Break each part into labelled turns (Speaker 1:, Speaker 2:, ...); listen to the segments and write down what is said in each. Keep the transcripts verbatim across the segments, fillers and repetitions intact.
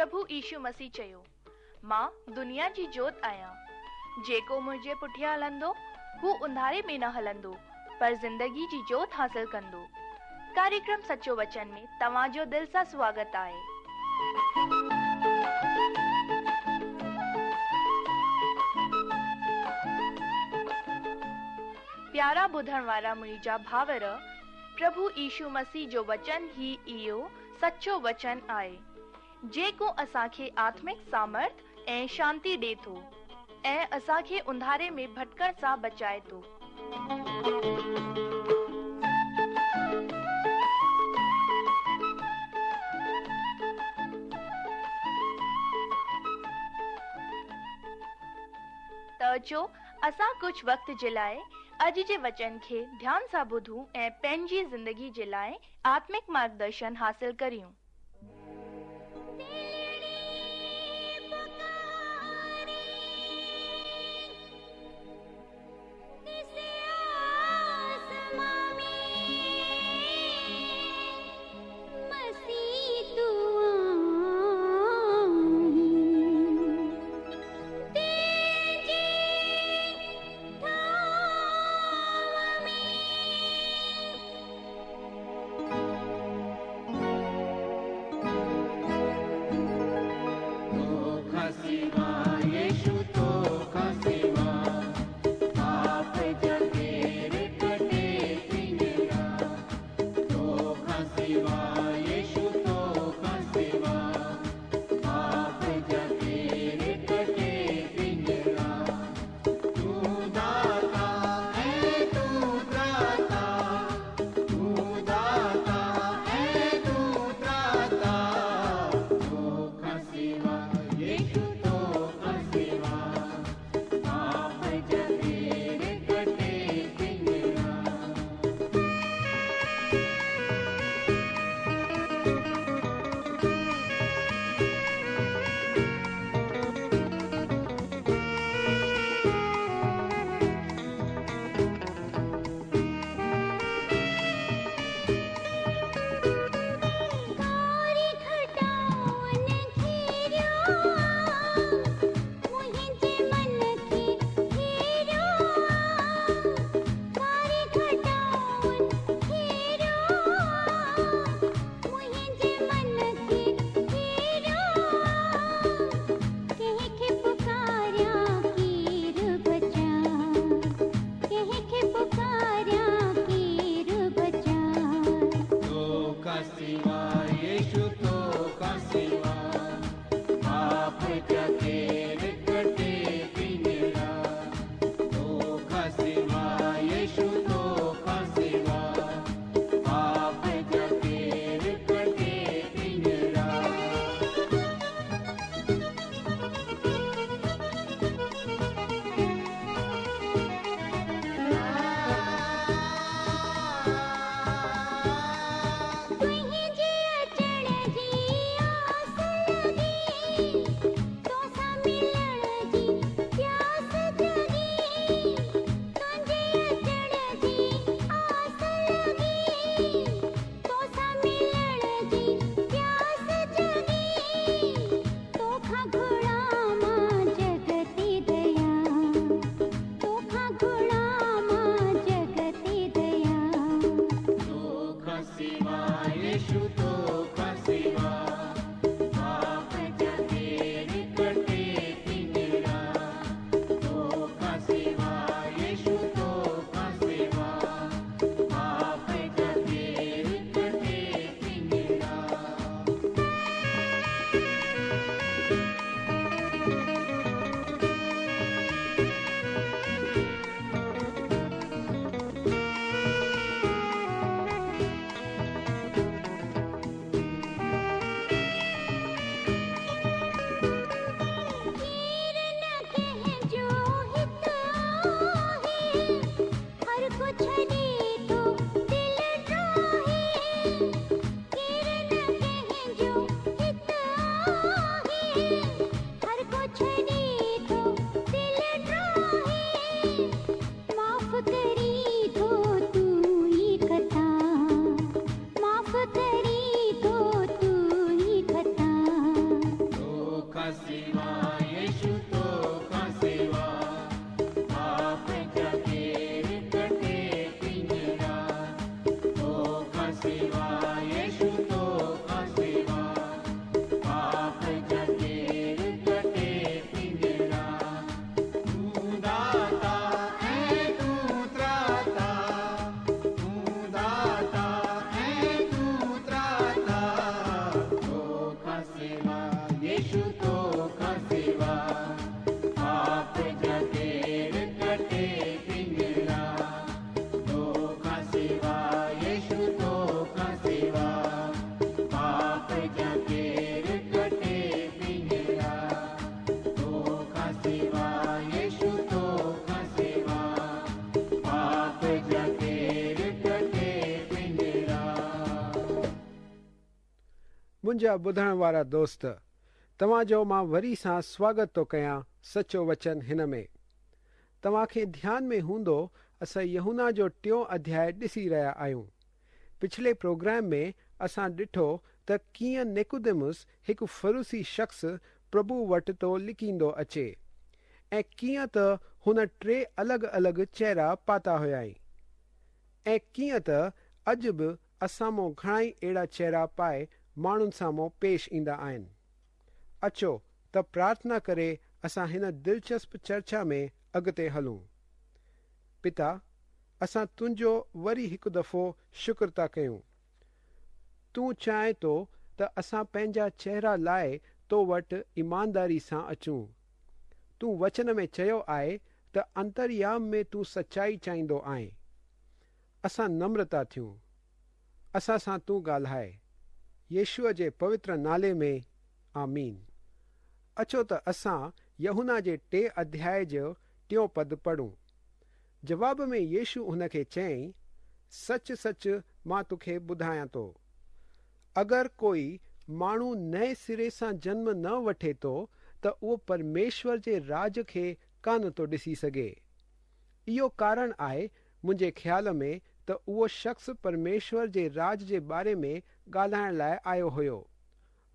Speaker 1: پرڀو يشو مسيح چيو، مان دنيا جي جوت آهيان. جيڪو منهنجي پٺيان هلندو هو انڌاري ۾ نه هلندو پر زندگي جي جوت حاصل ڪندو. ڪاريڪرم سچو وچن ۾ توهان جو دل سان سواگت آهي. پيارا ٻڌڻ وارا منهنجا ڀائر، پرڀو يشو مسيح جو وچن ئي اهو سچو وچن آهي جيڪو اسان کي آتمڪ سامرٿ ۽ شانتي ڏي ٿو ۽ اسان کي انڌاري ۾ ڀٽڪڻ سان بچائي ٿو. ته اچو اسان ڪجهه وقت جي لاء اڄ جي وچن کي ڌيان سان ٻڌون ۽ پنهنجي زندگي جي لاء آتمڪ مارگدرشن حاصل ڪريون.
Speaker 2: तुंहिंजे منهنجا ٻڌڻ وارا دوست، توهان جو مان وري سان سواگت ٿو ڪيان سچو وچن هن ۾. توهان کي ڌيان ۾ هوندو اسان يوحنا جو ٽيون اڌياءُ ڏسي رهيا آهيون. پڇلي پروگرام ۾ اسان ڏٺو ته ڪيئن نڪوديمس هڪ فريسي شخص پرڀو وٽ ٿو لڪيندو اچي ۽ ڪيئن ته هن ٽي الڳ الڳ چهرا پاتا هئائين ۽ ڪيئن ته اڄ به اسان مان گهڻا ئي اهڙا چهرا پائي ماڻهن سامهون پيش ايندا آهن. اچو ته پرارٿنا ڪري اسان هن دلچسپ چرچا ۾ اڳتي هلون. پتا، اسان تنهنجو وري هڪ دفعو شڪر ٿا ڪيون. تون چاهين ٿو ته اسان پنهنجا چهرا لاءِ تو وٽ ايمانداري سان اچون. تون وچن ۾ چيو آهي ته انتريام ۾ تون سچائي چاهيندو آهين. اسان نمرتا ٿيون. اسان سان تون ڳالهائي. يشوع جي پوتر نالي ۾ آمين. اچو ته اسان يوحنا جي ٽي اڌياءُ جو ٽيون پد پڙهون. جواب ۾ يشو هن کي چيائين، سچ سچ مان توکي ٻڌايان ٿو، اگر ڪوئي ماڻهو نئين سري سان جنم نه وٺي ٿو ته اهو پرميشور جي راج کي ڪانه ٿو ڏسي سگهي. اهو ڪارڻ آهي منهنجي خيال ۾ ته اهو شخص پرميشور جي راج جي باري ۾ ڳالهائڻ لاءِ آيو هيو.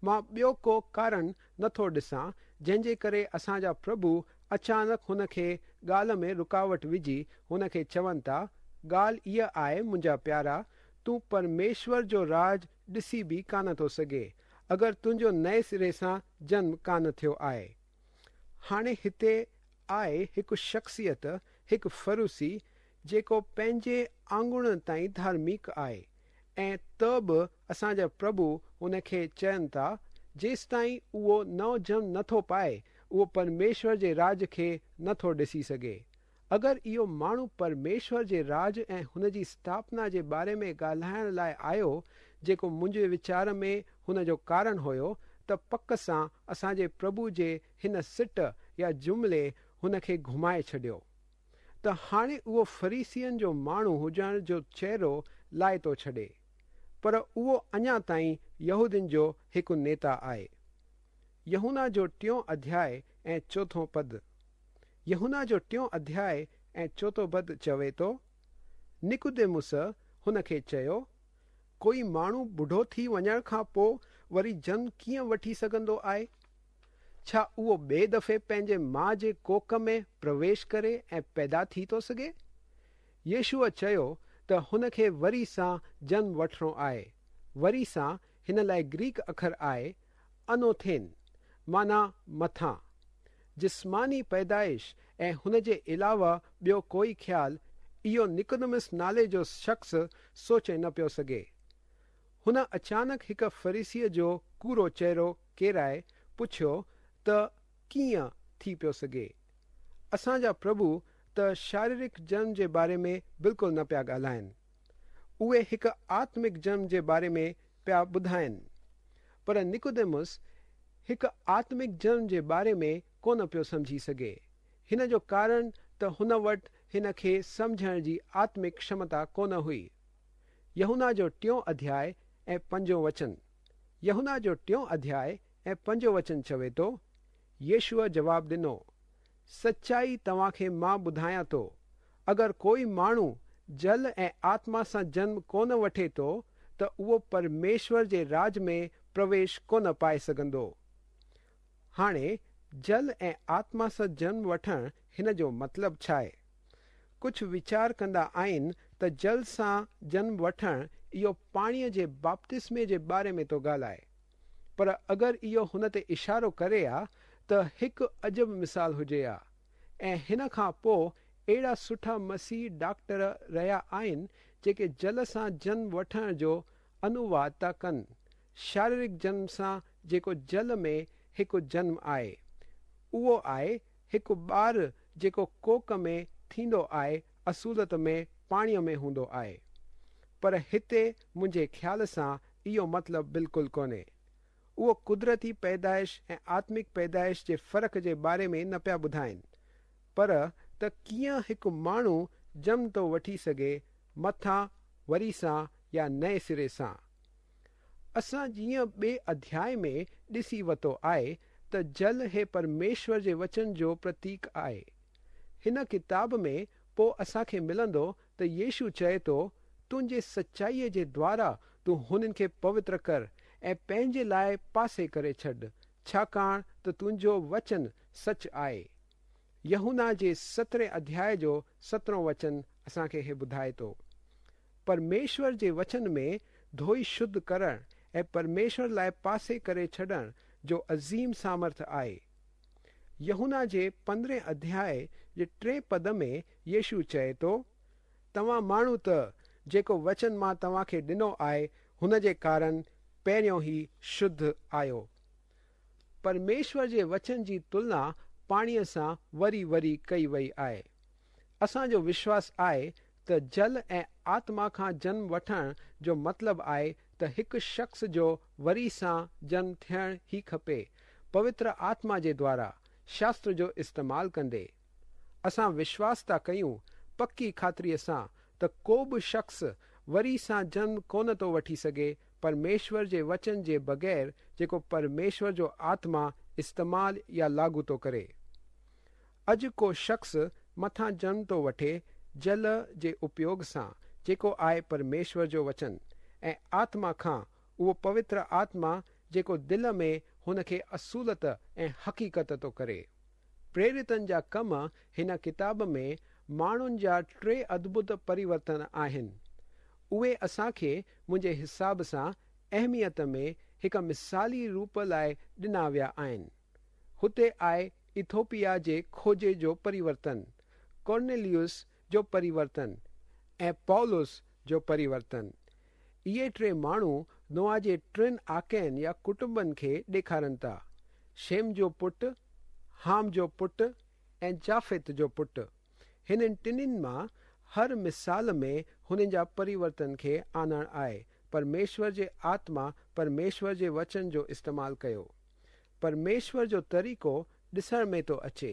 Speaker 2: مان ٻيو ڪو ڪارڻ نٿو ڏسان جنهن جي ڪري اسان جا پرڀو اچانڪ هن کي ڳالهه ۾ رڪاوٽ وجهي هن کي چون ٿا، ڳالهه اها آهي منهنجا پيارا، تون پرميشور جو راج ڏسي به ڪانه ٿو سگهي اگر تنهنجو نئين سري سان جنم ڪانه ٿيو آهي. هاڻي هتي آهي هڪ شخصيت، هڪ فريسي، جيڪو پنهنجي آڱڻ تائين ڌارمڪ آهي ۽ ته به اسان جا پرڀو هن کي چون ٿا، جيستائين اهو نئون جنم نٿو پائي اهو پرميشور جي راج کي نٿو ڏسي سگهي. اگر اهو ماڻهو پرميشور جي راج ۽ هن جي اسٿاپنا جي باري ۾ ڳالهائڻ لاءِ آيو، جيڪو منهنجي ويچار ۾ هن جو ڪارڻ هيو، ته پڪ سان اسان جي پرڀو جي هن سٽ يا جملي هن کي گهمائي ڇڏيو. ته هاڻي اهو فريسين جو ماڻهو هجڻ جو چهرو لاهي ٿو ڇڏي، پر اهو اڃا تائين يهودين جو هڪ نيتا آهي. يوحنا جو ٽيون اڌياءُ ۽ چوٿون پد. يوحنا جو ٽيون اڌياءُ ۽ چوٿون پد چوي ٿو، نڪوديمس هن کي چيو، ڪوئي ماڻهو ٻڍو ٿي وڃڻ کان پوءِ وري جنم ڪيئن وٺي سگهندو آهي؟ ڇا اهو ٻئي دفعي پنهنجي ماءُ جي ڪوک ۾ پرويش ڪري ۽ پيدا ٿي ٿو سگهي؟ يشوع چيو ته هن کي وري سان جنم وٺڻو آهي. وري سان هن لاءِ گريڪ اکر آهي انوٿين، معنيٰ مٿان. جسماني پيدائش ۽ هن جي علاوه ٻيو ڪوئي خيال اهو نڪوديمس نالي جو شخص سوچي نه پيو سگهي. هن اچانڪ هڪ فريسيءَ جو ڪوڙو چهرو ڪيرائي پڇيو ته ڪيئن ٿي پيو سگهي؟ اسان جا پرڀو ته شاريرڪ جنم جي باري ۾ بلڪل نه پيا ڳالهائين، اهي هڪ آتمڪ جنم جي باري ۾ پيا ٻڌائين. پر نڪوديمس هڪ آتمڪ جنم جي باري ۾ ڪونه پيو سمجهي سگهي. هن جو ڪارڻ ته هن وٽ هن کي سمجهڻ جي آتمڪ ڪشمتا ڪونه هئي. يوحنا جو ٽيون اڌياءُ ۽ پنجون وچن. يوحنا جو ٽيون اڌياءُ ۽ پنجون وچن چوي ٿو، يشوع جواب ڏنو، سچائي توهان کي مان ٻڌايان ٿو، اگر ڪوئي ماڻهو جل ۽ آتما سان جنم ڪونه وٺي ٿو ته اهو پرميشور جي راج ۾ پرويش ڪونه پائي سگهندو. هاڻي جل ۽ آتما سان جنم وٺڻ هن جو مطلب ڇا آهي؟ ڪجهه ويچار ڪندا آهن ته جل سان جنم وٺڻ اهو پاڻيءَ جي بپتسمي جي باري ۾ ٿو ڳالهائي، پر اگر اهو هن تي اشارو ڪري ها ته هڪ عجب مثال هجي ها. ۽ هن کان پوءِ اهڙا سٺا مسيح ڊاڪٽر رهيا آهن جيڪي جل سان جنم وٺڻ جو انوواد ٿا ڪن، شاريرڪ جنم سان جيڪو جل ۾ هڪ جنم آهي، اهو آهي هڪ ٻار جيڪو ڪوڪ ۾ ٿيندو آهي، اصوليت ۾ پاڻيءَ ۾ هوندو آهي. پر هتي منهنجي خيال سان اهو مطلب بلڪل ڪونهي. اهو قدرتي پيدائش ۽ آتمڪ پيدائش جي فرق جي باري ۾ نه پيا ٻڌائين، پر ته ڪيئن هڪ ماڻهو جنم ٿو وٺي سگهي، مٿان وري سان يا نئين سري سان. असां जीअं ॿिए अध्याय में ॾिसी वरितो आहे त जल हे परमेश्वर जे वचन जो प्रतीक आहे। हिन किताब में पोइ असांखे मिलंदो त यीशु चए थो, तुंहिंजे सचाईअ जे द्वारा तूं हुननि खे पवित्र कर ऐं पंहिंजे लाइ पासे करे छॾ, छाकाणि त तुंहिंजो वचन सच आहे। यूहन्ना जे सतरहें अध्याय जो सतरहों वचन असांखे हे ॿुधाए थो। परमेश्वर जे वचन में धोई शुद्ध करण ऐं परमेश्वर लाइ पासे करे छॾण जो अज़ीम सामर्थ आहे। यूहन्ना जे पंद्रहें अध्याय जे टे पद में यीशु चए थो, तव्हां माण्हू त जेको वचन मां तव्हांखे ॾिनो आहे हुन जे कारण पहिरियों ई शुद्ध आहियो। परमेश्वर जे वचन जी तुलना पाणीअ सां वरी वरी कई वई आहे। असांजो विश्वास आहे त जल ऐं आत्मा खां जन्म वठण जो मतिलबु आहे त हिकु शख़्स जो वरी सां जन्म थियणु ई खपे, पवित्र आत्मा जे द्वारा शास्त्र जो इस्तेमालु कंदे। असां विश्वास था कयूं पकी ख़ातिरीअ सां त को बि शख़्स वरी सां जन्म कोन थो वठी सघे परमेश्वर जे वचन जे बग़ैर, जेको परमेश्वर जो आत्मा इस्तेमालु या लागू थो करे। अॼु को शख़्स मथां जन्म थो वठे जल जे उपयोग सां, जेको आहे परमेश्वर जो वचन, ऐं आत्मा खां उहो पवित्र आत्मा जेको दिलि में हुनखे असूलत ऐं हक़ीक़त थो करे। प्रेरितनि जा कम हिन किताब में माण्हुनि जा टे अद्भुत परिवर्तन आहिनि। उहे असांखे मुंहिंजे हिसाब सां अहमियत में हिकु मिसाली रूप लाइ ॾिना विया आहिनि। हुते आहे इथोपिया जे खोजे जो परिवर्तन, कॉर्नेलियस जो परिवर्तन ऐं पौलुस जो परिवर्तन। इहे टे माण्हू नोआ जे टिनि आकनि या कुटुंबनि खे ॾेखारनि था, शेम जो पुटु, हाम जो पुटु ऐं जाफ़ित जो पुटु। हिननि टिन्हिनि मां हर मिसाल में हुननि जा परिवर्तन खे आणणु आहे। परमेश्वर जे आत्मा परमेश्वर जे वचन जो इस्तेमालु कयो। परमेश्वर जो तरीक़ो ॾिसण में थो अचे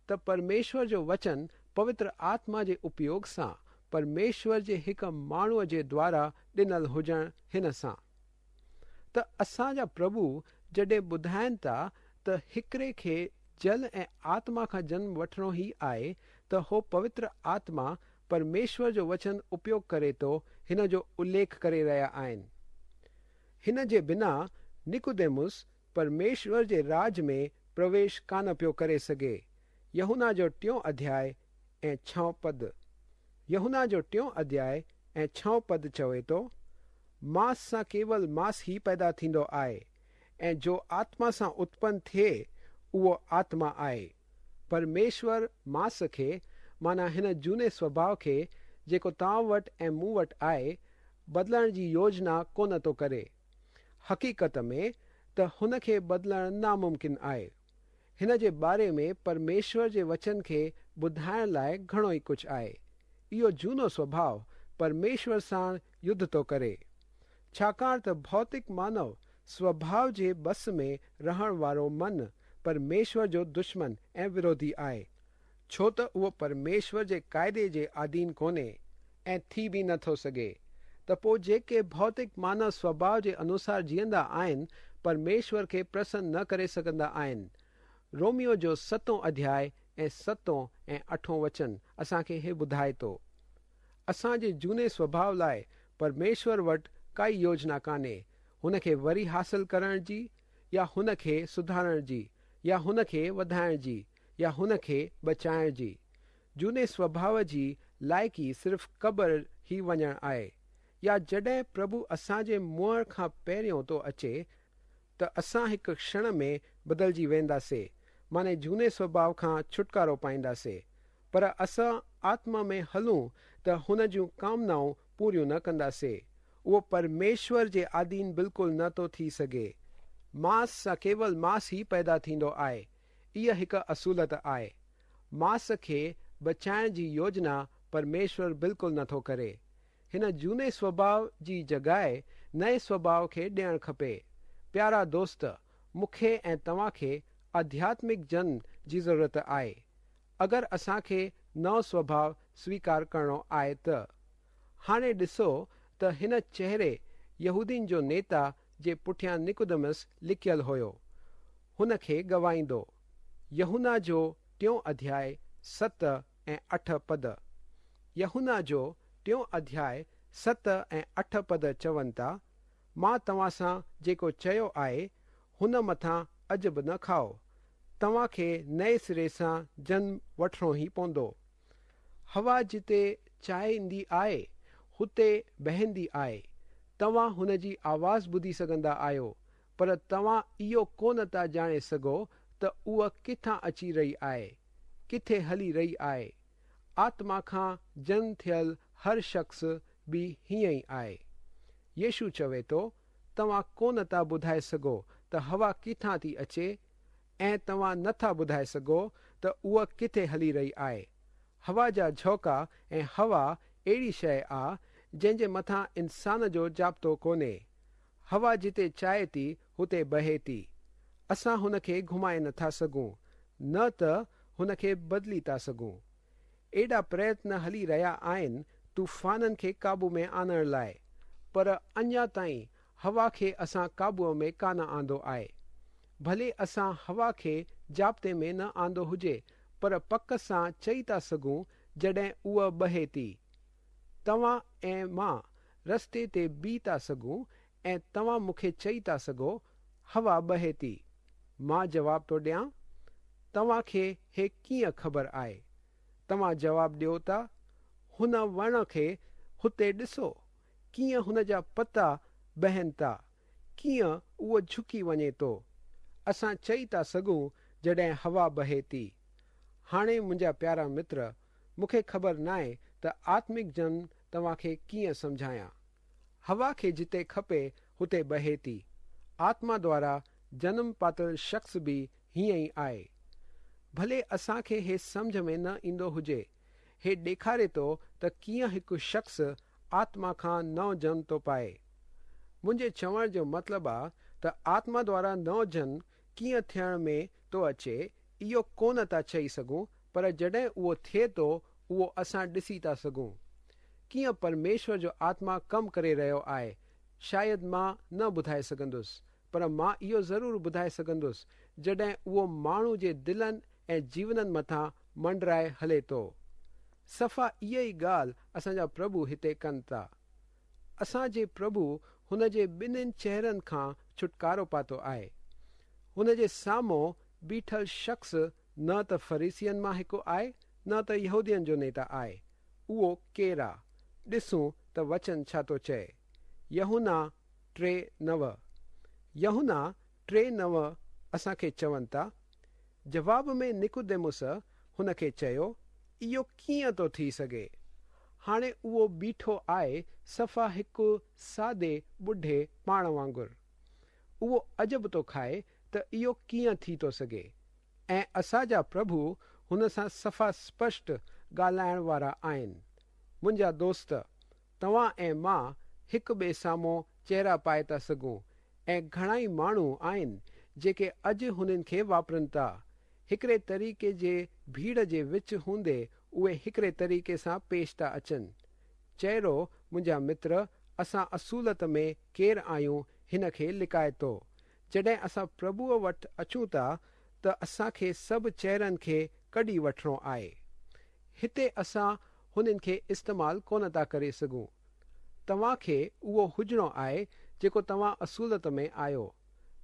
Speaker 2: त परमेश्वर जो वचन पवित्र आत्मा जे उपयोग सां परमेश्वर जे हिकु माण्हूअ जे द्वारा ॾिनल हुजणु हिन सां। त असांजा प्रभु जॾहिं ॿुधाइनि था त हिकिड़े खे जल ऐं आत्मा खां जन्म वठिणो ई आहे त हो पवित्र आत्मा परमेश्वर जो वचन उपयोग करे थो, हिन जो उल्लेख करे रहिया आहिनि। हिन जे बिना निकुदेमुस परमेश्वर जे राज में प्रवेश कान पियो करे सघे। यूहन्ना जो टियों अध्याय ऐं छहों पद। यूहन्ना जो टियों अध्याय ऐं छहों पद चवे थो, मांस सां केवल मांस ई पैदा थींदो आहे ऐं जो आत्मा सां उत्पन्न थिए उहो आत्मा आहे। परमेश्वर मांस खे माना हिन जूने स्वभाव खे जेको तव्हां वटि ऐं मूं वटि आहे बदिलण जी योजना कोन थो करे। हक़ीक़त में त हुनखे बदिलणु नामुमकिन आहे। हिन जे बारे में परमेश्वर जे वचन खे ॿुधाइण लाइ घणो ई कुझु आहे। इहो जूनो स्वभाव परमेश्वर सां युद्ध थो करे, छाकाणि त भौतिक मानव स्वभाव जे बस में रहण वारो मन परमेश्वर जो दुश्मन ऐं विरोधी आहे, छो त उहो परमेश्वर जे क़ाइदे जे आधीन कोन्हे ऐं थी बि नथो सघे। त पोइ जेके भौतिक मानव स्वभाव जे अनुसार जीअंदा आहिनि परमेश्वर खे प्रसन्न न करे सघंदा आहिनि। रोमियो जो सतों अध्याय ऐं सतों ऐं अठों वचन असांखे हे ॿुधाए थो। असांजे जूने स्वभाव लाइ परमेश्वर वटि काई योजना कान्हे हुनखे वरी हासिल करण जी या हुनखे सुधारण जी या हुनखे वधाइण जी या हुनखे बचाइण जी। जूने स्वभाव जी लाइक़ी सिर्फ़ क़बर ई वञणु आहे, या जॾहिं प्रभु असांजे मुंहं खां पहिरियों थो अचे त असां हिकु क्षण में बदिलजी वेंदासीं, माने जूने स्वभाव खां छुटकारो पाईंदासीं। पर असां आत्मा में हलूं त हुन जूं कामनाऊं पूरियूं न कंदासीं। उहो परमेश्वर जे आधीन बिल्कुलु न थो थी सघे। मांस सां केवल मांस ई पैदा थींदो आहे, इहा हिकु असूलत आहे। मांस खे बचाइण जी योजना परमेश्वर बिल्कुलु नथो करे। हिन जूने स्वभाव जी जॻह नए स्वभाव खे ॾियणु खपे। प्यारा दोस्त, मूंखे ऐं तव्हांखे आध्यात्मिक जन्म जी ज़रूरत आहे। अगरि असांखे नओं स्वभाव स्वीकार करिणो आहे त हाणे ॾिसो त हिन चेहरे यहूदीनि जो नेता جي پٺيان نڪوديمس لڪيل هيو، هن کي گوائيندو. يوحنا جو ٽيون اڌياء ست ۽ اٺ پد. يوحنا جو ٽيون اڌياء ست ۽ اٺ پد چون ٿا، مان توهان سان جيڪو چيو آهي هن مٿان عجب نه کائو. توهان کي نئين سري سان جنم وٺڻو ئي پوندو. هوا جتي چاهيندي آهي هتي بهندي آهي. توهان هن جي آواز ٻڌي سگهندا آهيو، پر توهان اهو ڪونه ٿا ڄاڻي سگهو ته اها ڪٿان اچي رهي آهي، ڪٿي هلي رهي آهي. آتما کان جنم ٿيل هر شخص به هيئن ئي آهي. يشو چوي ٿو، توهان ڪونه ٿا ٻڌائي سگهو ته هوا ڪٿان ٿي اچي ۽ توهان نٿا ٻڌائي سگهو ته اها ڪٿي هلي رهي آهي. هوا جا جهوڪا ۽ هوا اهڙي شيءِ آ جنهن جي مٿان انسان جو ضابطو ڪونهي. هوا جتي چاهي ٿي هتي بهي ٿي. اسان هن کي گهمائي نٿا سگهون، نه ته هن کي بدلي ٿا سگهون. ايڏا پريتن هلي رهيا آهن طوفانن کي قابو ۾ آڻڻ لاءِ، پر اڃا تائين هوا کي اسان قابوءَ ۾ ڪانه آندو آهي. ڀلي اسان هوا کي ضابطي ۾ نه آندو هجي، پر پڪ سان چئي ٿا سگهون جڏهن اها بهي ٿي. توهان ۽ مان رستي تي بيهه ٿا سگهون ۽ توهان مون کي چئي ٿا سگهو هوا بهي ٿي. مان جواب ٿو ڏيان، توهان کي هي ڪيئن خبر آهي؟ توهان جواب ڏيو ٿا، هن وڻ کي هتي ڏسو، ڪيئن هن جا پتا بهن ٿا، ڪيئن اهو جهڪي وڃي ٿو. اسان چئي ٿا سگهون جڏهن هوا بهي ٿي. هاڻي منهنجا پيارا متر، مون کي خبر ناهي ته آتمڪ جنم توهان کي ڪيئن سمجهايان. هوا کي جتي کپي هتي بهي ٿي. آتما دوارا جنم پاتل شخص به هيئن ئي آهي. ڀلي اسان کي هي سمجهه ۾ نه ايندو هجي، هي ڏيکاري ٿو ته ڪيئن هڪ شخص آتما کان نئون جنم ٿو پائي. منهنجي چوڻ جو مطلب آ ته آتما دوارا نئون جنم ڪيئن ٿيڻ ۾ ٿو اچي اهو ڪونه ٿا چئي سگهون، پر جڏهن اهو ٿئي ٿو اهو اسان ڏسي ٿا سگهون. ڪيئن پرميشور جو آتما ڪم ڪري رهيو آهي شايد مان نه ٻڌائي سگهندس، پر مان اهو ضرور ٻڌائي سگهندس جڏهن اهو ماڻهو جي دلن ۽ جيونن مٿان منڊرائي هلي ٿو. صفا اها ئي ڳالهه اسان جا پرڀو هتي ڪن ٿا. اسان جي پرڀو هن جي ٻنهن چهرن کان ڇوٽڪارو پاتو آهي. هن جي سامهون بيٺل شخص نه ته فريسين مان هڪ آهي، نه ته يهودين جو نيتا آهي. اهو ڪير آ؟ ڏسون ته وچن ڇا ٿو چئي. يوحنا ٽي نو. يوحنا ٽي نو اسان کي چون ٿا، جواب ۾ نڪوديموس هن کي چيو، اهو ڪيئن ٿو ٿي سگهي؟ هاڻي اهو بيٺو آهي صفا هڪ سادي ٻڍي پاڻ وانگر. اهو عجب ٿو کائي ته اهو ڪيئن ٿي ٿو سگهي. ۽ اسان جا پرڀو هن سان صفا سپشٽ ڳالهائڻ وارا آهن. منهنجا دوست، توهان ۽ مان هڪ ٻئي سامهون چهرا پائي ٿا سگهون ۽ گهڻا ئي ماڻهو آهن جيڪي اڄ هنن کي واپرن ٿا. هڪڙي طريقي جي ڀيڙ جي وچ هوندي اهي هڪڙي طريقي سان پيش ٿا اچن. چهرو منهنجا متر، اسان اصوليت ۾ ڪير آهيون هن کي لڪائي ٿو. جڏهن اسان پرڀوءَ وٽ اچون ٿا ته اسان کي سڀ چهرن کي ڪڍي وٺڻو آهي. هتي اسان هنن کي استعمال ڪونه ٿا ڪري سگهون. توهان کي اهو هجڻو آهي جيڪو توهان اصوليت ۾ آهيو.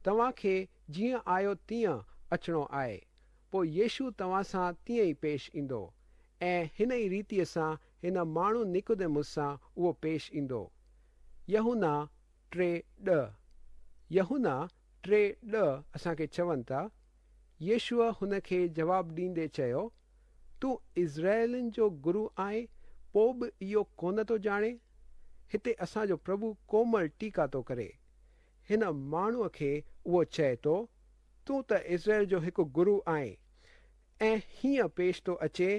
Speaker 2: توهان کي جيئن آهيو تيئن اچڻو آهي. پوءِ يشو توهان سان تيئن ئي پيش ايندو ۽ هن ئي ريتيءَ سان هن ماڻهو نڪوديموس سان اهو پيش ايندو. يوحنا ٽي ڏهه. يوحنا ٽي ڏهه اسان کي چون ٿا، يشوع هن کي جواب ڏيندي چيو، تون اسرائيلن جو گرو آهين پوءِ به اهو ڪونه ٿو ڄاڻي؟ هتي اسان جو پرڀو ڪومل ٽيڪا ٿو ڪري. هن ماڻهوءَ کي اهو چئي ٿو، تون ته اسرائيل جو هڪ گرو آهين ۽ هيئن پيش ٿو اچي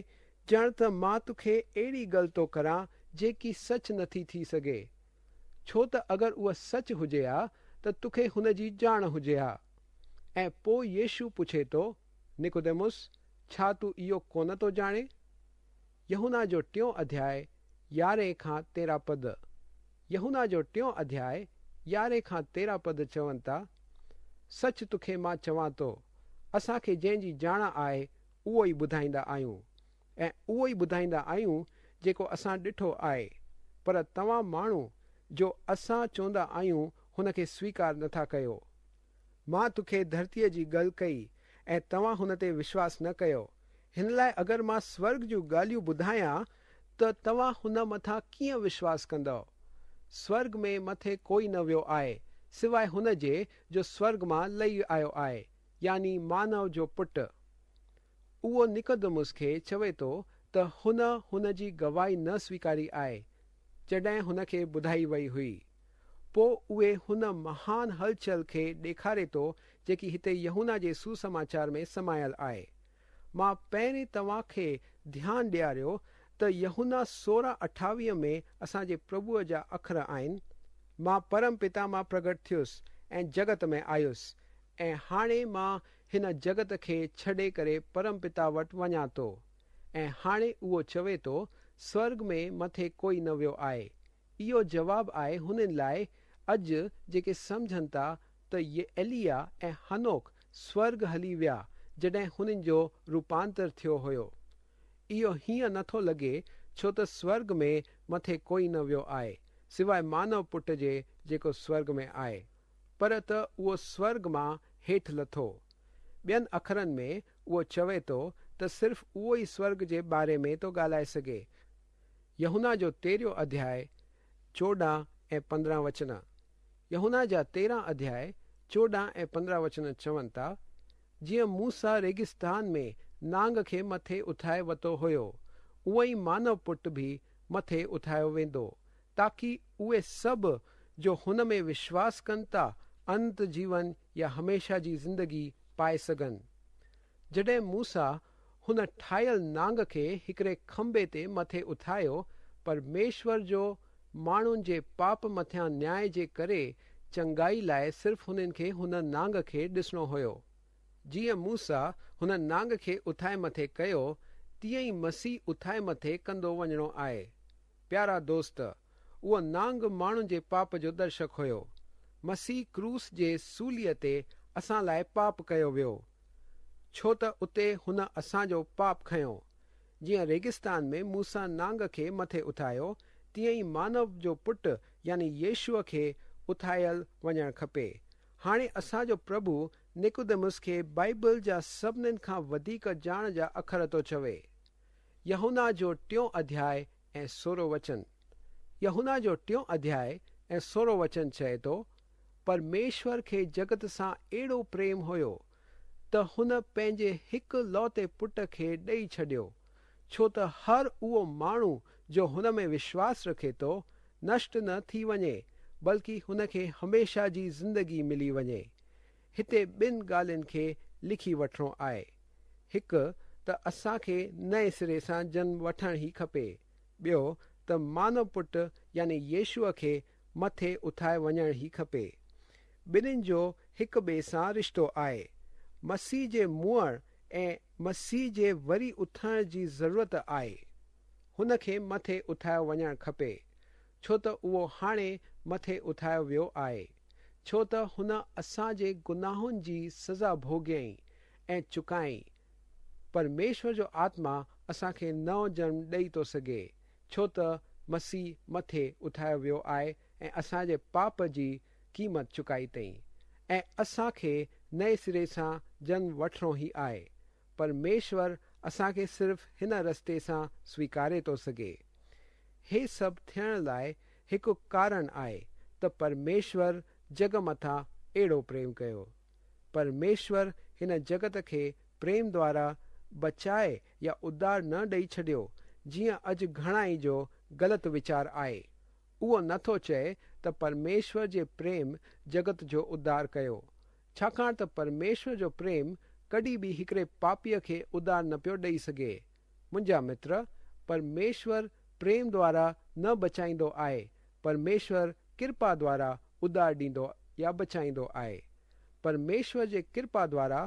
Speaker 2: ڄڻ ته مان توکي اهڙي ڳالهه ٿو ڪران جيڪي سچ نٿي ٿي سگهي. ڇو ته اگر اها سچ هجي ها ته توکي هن جي ڄاڻ هجي ها. ۽ پوءِ يشو پڇي ٿو، نڪوديموس، ڇا تون اهو ڪونه ٿو ڄاڻي؟ يوحنا جو ٽيون اڌياءُ يارهين کان تيرهن پد. يوحنا جو ٽيون اڌياءُ يارهن کان تيرهن پد چون ٿا، سچ توکي مان چوان ٿو، اسان کي جنهن جي ڄاڻ آهي اهو ئي ٻڌائيندا آهيون ۽ اهو ئي ٻڌائيندا آهيون جيڪو اسان ڏٺو آهي، پر توهان ماڻهو جو اسان چوندا آهيون هن کي سويڪار نٿا ڪيو. مان توکي ڌرتيءَ جي ڳالهه ڪئي ۽ توهان هن تي وشواس نه ڪيو. هن لاءِ اگر مان سورڳ جون ڳالهيون ٻڌايان ته توهان هن مٿان ڪيئن وشواس ڪندؤ؟ سورڳ ۾ مٿي ڪوئي نه ويو آهي سواءِ هن جي جو سورڳ مان لهي آيو آهي، يعني مانو جو پٽ. اهو نڪوديموس کي چوي ٿو ته هن هن جي گواهي نه سويڪاري آهي جڏهن هن کي ٻڌائي وئي هئي. پوءِ اهي هن مهان هلچل کي ڏيکاري ٿو جيڪي هتي يوحنا جي سسماچار ۾ سمايل آهي. مان پهرين توهان کي ڌيان ڏياريو ته يوحنا سورهن اٺاويهه ۾ اسان جي پرڀوءَ جا اکر آهن، مان پرم پتا مان پرگهٽ ٿيس ۽ جڳت ۾ آيس ۽ هاڻي مان هن جڳت کي ڇڏي ڪري پرم پتا وٽ وڃان ٿو. ۽ هاڻي اهو چوي ٿو سورڳ ۾ مٿي ڪوئي نه ويو آهي. اهو جواب آهي هنن لاءِ اڄ جيڪي سمجهن ٿا ته ايليا ۽ هنوڪ سورڳ هلي ويا جڏهن هنن جو روپانتر ٿيو هيو. اهو هيئن نٿو لڳي ڇو ته سورڳ ۾ مٿي ڪوئي نه ويو آهي سواءِ مانو پٽ جي جيڪو سورڳ ۾ آهي، پر ته اهو سورڳ مان هيٺ لٿو. ٻين اکرن ۾ اهو چوي ٿو ته صرف اهو ئي سورڳ جي باري ۾ ٿو ڳالهائي سگهي. يوحنا جو تيرهون اڌياءِ چوڏهن ۽ پندرهن وچن. يوحنا جا تيرهن اڌياءِ چوڏهن ۽ پندرهن وچن چون ٿا، جيئن موسيٰ ريگستان ۾ نانگ کي مٿي اٿائي ورتو هيو، اونئن ئي مانو پٽ به مٿي اٿايو ويندو، تاڪه اهي سڀ جو هن ۾ وشواس ڪن ٿا اننت جيون يا هميشه جي زندگي پائي سگهن. جڏهن موسيٰ هن ٺاهيل نانگ کي هڪڙي کنڀي تي مٿي اٿايو، پرميشور جو ماڻهن جي پاپ مٿان نياءِ جي ڪري چنگائي لاءِ صرف هنن کي هن نانگ کي ڏسڻو هيو. جيئن موسيٰ هن نانگ کي اٿائي مٿي ڪيو، تيئن ئي مسيح اٿائي مٿي ڪندو وڃڻو آهي. پيارا دوست، اهو نانگ ماڻهن جي پاپ جو درشڪ هيو. مسيح ڪروس جي سوليءَ تي اسان لاءِ پاپ ڪيو ويو، ڇو ته اتي هن اسان جو پاپ کنيو. جيئن ريگستان ۾ موسيٰ نانگ کي مٿي اٿايو، تيئن ئي مانو جو پٽ يعني يشوءَ کي اٿايل وڃڻ کپي. هاڻي اسان جو پرڀو نڪوديموس کي بائيبل جا سڀنين کان وڌيڪ ڄاڻ جا اکر ٿو چوي. يوحنا جو ٽيون اڌياءِ ۽ سورهون وچن. يوحنا جو ٽيون اڌياءِ ۽ سورهون وچن چئي ٿو، پرميشور کي جڳت سان اهڙو پريم هيو ته هن پنهنجي هڪ لوتي پٽ کي ڏيئي ڇڏيو، ڇو ته هر اهو ماڻهو جو هن ۾ وشواس رکي ٿو نشٽ نه ٿي وڃي، بلڪه هن کي هميشه جي زندگي ملي وڃي. هتي ٻن ڳالهين کي لکي وٺڻو آهي. هڪ ته اسان کي نئين سري سان جنم وٺڻ ئي کپي. ٻيو ته مانو پٽ يعني يشوءَ کي مٿي اٿائي وڃڻ ئي کپي. ٻنهن جو هڪ ٻئي سان رشتو آهي. مسيح جي مئڻ ۽ مسيح جي وري اٿڻ جي ضرورت آهي. هن کي مٿي اٿايو وڃڻ کپي، ڇو ته اهو هاڻي مٿي اٿايو ويو آهي، ڇو ته هن اسان جي گناهن جي سزا ڀوڳيائين ۽ چڪائين. پرميشور جو آتما اسان کي نئون جنم ڏيئي ٿو سگهي، ڇو ته مسيح مٿي اٿايو ويو آهي ۽ اسان جي پاپ جي قيمت چڪائي اٿئي ۽ اسان کي نئين سري سان جنم وٺڻو ئي آهي. پرميشور اسان کي صرف هن رستي سان سويڪاري ٿو سگهي. هي سڀ ٿيڻ لاءِ هڪ ڪارڻ آهي ته پرميشور جڳ مٿان اهڙو پريم ڪيو. پرميشور هن جڳت کي پريم دوارا بچائي يا اڌار نه ڏيئي ڇڏيو، جيئن اڄ گهڻا ئي جو غلط ويچار آهي. اهو نٿو چئي ته پرميشور جي پريم جڳت جو اڌار ڪيو، ڇاڪاڻ ته پرميشور جو پريم ڪڏهن به هڪڙي پاپيءَ کي اڌار نه پيو ڏيئي سگهي. منهنجا متر، پرميشور پريم دوارا نه بچائيندو آهي، پرميشور ڪرپا دوارا اڌار ڏيندو يا بچائيندو آهي. پرميشور جي ڪرپا دوارا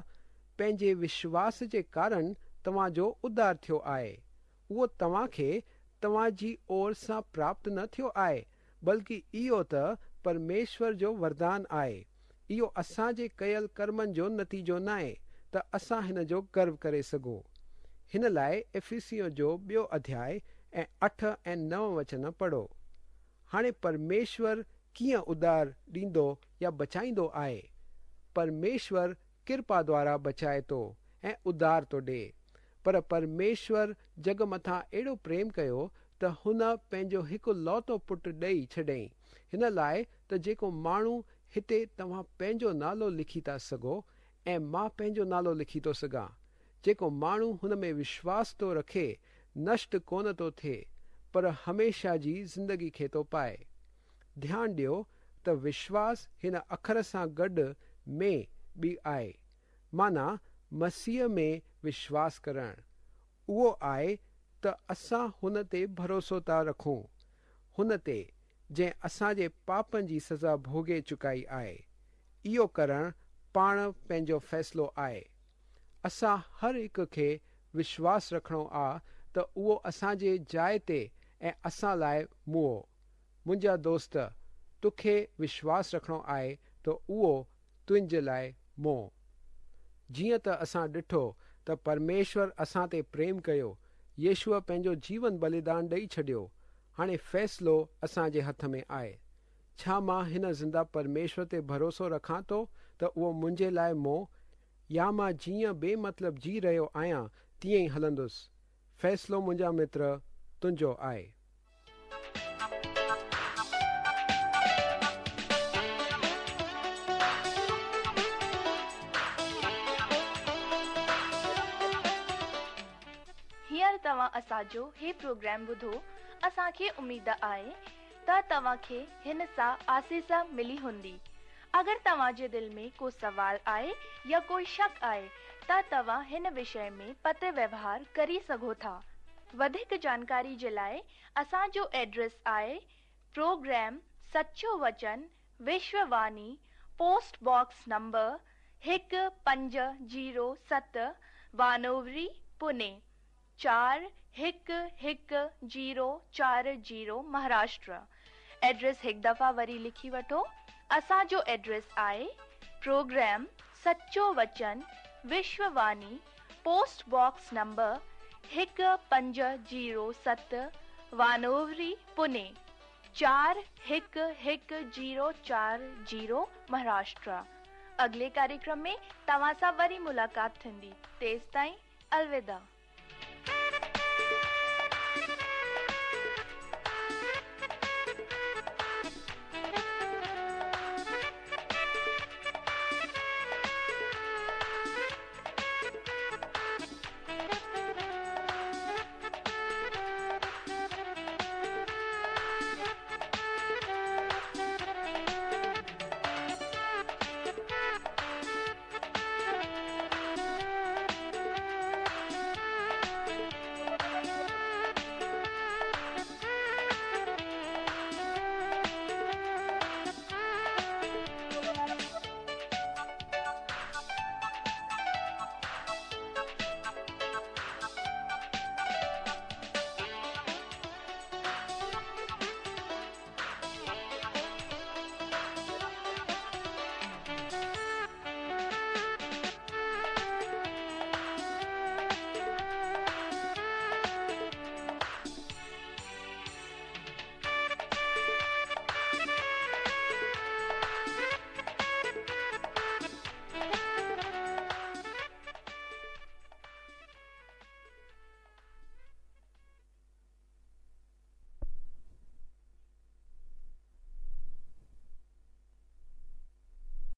Speaker 2: پنهنجي وشواس جي ڪارڻ توهان جو اڌار ٿيو آهي. اهو توهان کي توهان جي اور سان پراپت نه ٿيو آهي، بلڪه اهو ته پرميشور جو وردان آهي. اهو اسان جي ڪيل ڪرمن جو نتيجو ناهي ته اسان هن جو گرو ڪري سگهون. هن لاءِ افسيون جو ٻيو اڌياءُ ۽ اٺ ۽ نو وچن پڙهو. هاڻي پرميشور ڪيئن اڌار ڏيندو يا بچائيندو آهي؟ پرميشور ڪرپا دوارا بچائي ٿو ۽ اڌار ٿو ڏئي. پر پرميشور جڳ مٿان اهڙو پريم ڪيو ته هن پنهنجو هڪ لوتو پٽ ڏيئي ڇڏيائين، هن لاءِ ته جيڪو ماڻهو هتي توهان پنهنجو نالو لکي ٿا سگهو ۽ مان پنهنجو نالو لکي ٿو سگهان، جيڪو ماڻهو هن ۾ وشواس ٿو رکي نشٽ ڪونه ٿو ٿئي پر هميشه جي زندگي کي ٿو پائي. ڌيان ڏيو ته وشواس هن اکر سان گڏ ۾ به آهي، معنيٰ مسيح ۾ وشواس ڪرڻ. اهو آهي ته اسان هن تي ڀروسو ٿا رکون، هن تي جنهن اسان جي پاپن جي سزا ڀوڳي چڪائي آهي. اهو ڪرڻ پاڻ پنهنجو فيصلو آهي. اسان هر هڪ کي وشواس رکڻو آهي ته اهو اسان جي جاءِ تي ۽ اسان لاءِ مئو. منهنجا دوست، توکي وشواس رکڻو آهي ته اهو تنهنجي لاءِ مئو. جيئن ته اسان ڏٺو ته پرميشور اسان تي پريم ڪيو، يشوءَ پنهنجو جيون ٻليدان ڏيئي ڇڏيو. هاڻي فيصلو اسان جي هٿ ۾ آهي. ڇا مان هن زنده پرميشور تي ڀروسو رکان ٿو ته اهو منهنجي لاءِ مئو، يا مان جيئن بي مطلب جي رهيو آهيان تيئن ئي هلندس؟ فيصلو منهنجا متر تنهنجو آهي.
Speaker 1: هينئر توهان اسان جو هي پروگرام ٻڌو. اسان کي اميد آهي ته توهان کي هن سان آسيس ملي هوندي. اگر توهان جي دل ۾ ڪو سوال آهي يا ڪوئي شڪ آهي ته توهان هن وشي ۾ پتر ويوهار ڪري سگهو ٿا. وڌيڪ جانڪاري جي لاءِ اسان جو ايڊريس آهي پروگرام سچو وچن، وشوواڻي، پوسٽ باڪس نمبر هڪ پنج زيرو ست، وانووري، پوني چار هڪ هڪ زيرو چار زيرو، مهاراشٽر. ايڊريس هڪ دفعا وري لکي وٺو. اسان جو ايڊريس آهي پروگرام سچو وچن، وشوواڻي، پوسٽ باڪس نمبر هڪ پنج زيرو ست، وانووري، پوني چار هڪ هڪ زيرو چار زيرو، مهاراشٽر. اڳلي ڪاريڪرم ۾ توهان سان وري ملاقات ٿيندي. تيستائين الوداع.